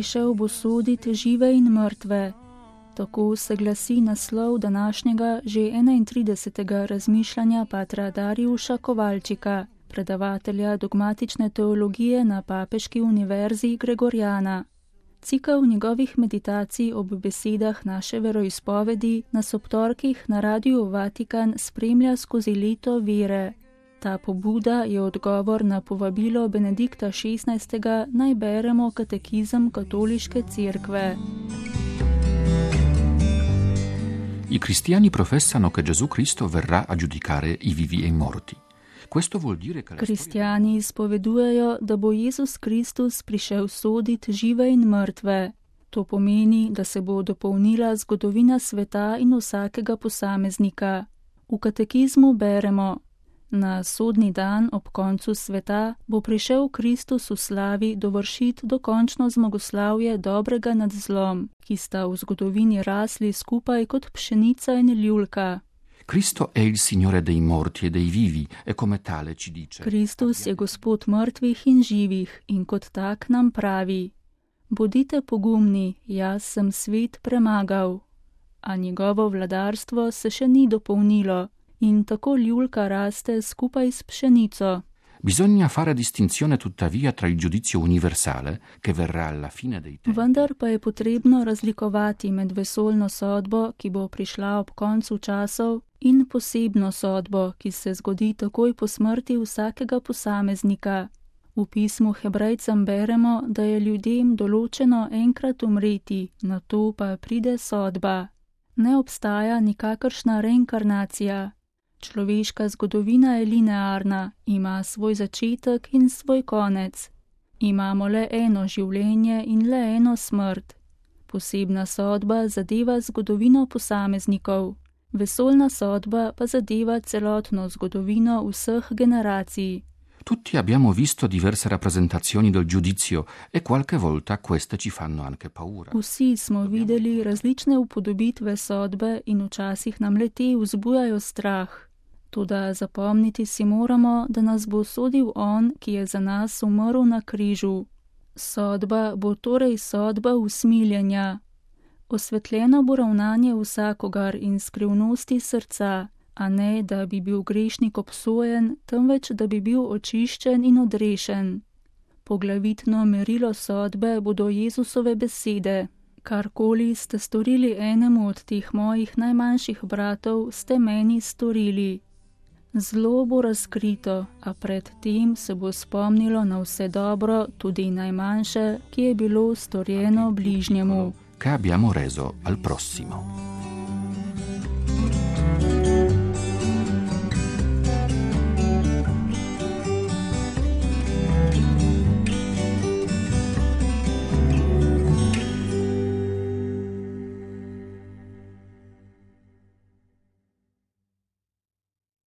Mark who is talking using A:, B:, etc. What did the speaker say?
A: prišel bo soditi žive in mrtve. Tako se glasi naslov današnjega že 31. razmišljanja patra Darjuša Kovalčika, predavatelja dogmatične teologije na Papeški univerzi Gregorjana. Cikel njegovih meditacij ob besedah naše veroizpovedi nas ob torkih na Radiu Vatikan spremlja skozi leto vere. Ta pobuda je odgovor na povabilo Benedikta XVI. Naj beremo katekizem Katoliške cerkve.
B: I cristiani professano che Gesù Cristo verrà a giudicare i vivi e i morti. Questo vuol dire che
A: Kristjani izpovedujejo, da bo Jezus Kristus prišel soditi žive in mrtve. To pomeni, da se bo dopolnila zgodovina sveta in vsakega posameznika. V katekizmu beremo: na sodni dan ob koncu sveta bo prišel Kristus v slavi dovršiti dokončno zmagoslavje dobrega nad zlom, ki sta v zgodovini rasli skupaj kot pšenica in ljulka.
B: Cristo è il Signore dei morti e dei vivi e come tale ci dice.
A: Kristus je Gospod mrtvih in živih in kot tak nam pravi: bodite pogumni, jaz sem svet premagal. A njegovo vladarstvo se še ni dopolnilo in tako ljulka raste skupaj s pšenico.
B: Bisogna fare distinzione tuttavia tra il giudizio universale che verrà alla fine dei tempi.
A: Vendar pa je potrebno razlikovati med vesoljno sodbo, ki bo prišla ob koncu časov, in posebno sodbo, ki se zgodi takoj po smrti vsakega posameznika. V pismu Hebrejcem beremo, da je ljudem določeno enkrat umreti, nato pa pride sodba. Ne obstaja nikakršna reinkarnacija. Človeška zgodovina je linearna, ima svoj začetek in svoj konec. Imamo le eno življenje in le eno smrt. Posebna sodba zadeva zgodovino posameznikov. Vesoljna sodba pa zadeva celotno zgodovino vseh generacij.
B: Tutti abbiamo visto diverse rappresentazioni del giudizio e qualche volta queste ci fanno anche paura.
A: Vsi smo videli različne upodobitve sodbe in včasih nam le te vzbujajo strah. Toda zapomniti si moramo, da nas bo sodil on, ki je za nas umrl na križu. Sodba bo torej sodba usmiljenja. Osvetljeno bo ravnanje vsakogar in skrivnosti srca, a ne, da bi bil grešnik obsojen, temveč, da bi bil očiščen in odrešen. Poglavitno merilo sodbe bodo Jezusove besede: karkoli ste storili enemu od teh mojih najmanjših bratov, ste meni storili. Zlo bo razkrito, a pred tem se bo spomnilo na vse dobro, tudi najmanjše, ki je bilo storjeno bližnjemu.
B: Che abbiamo reso al prossimo.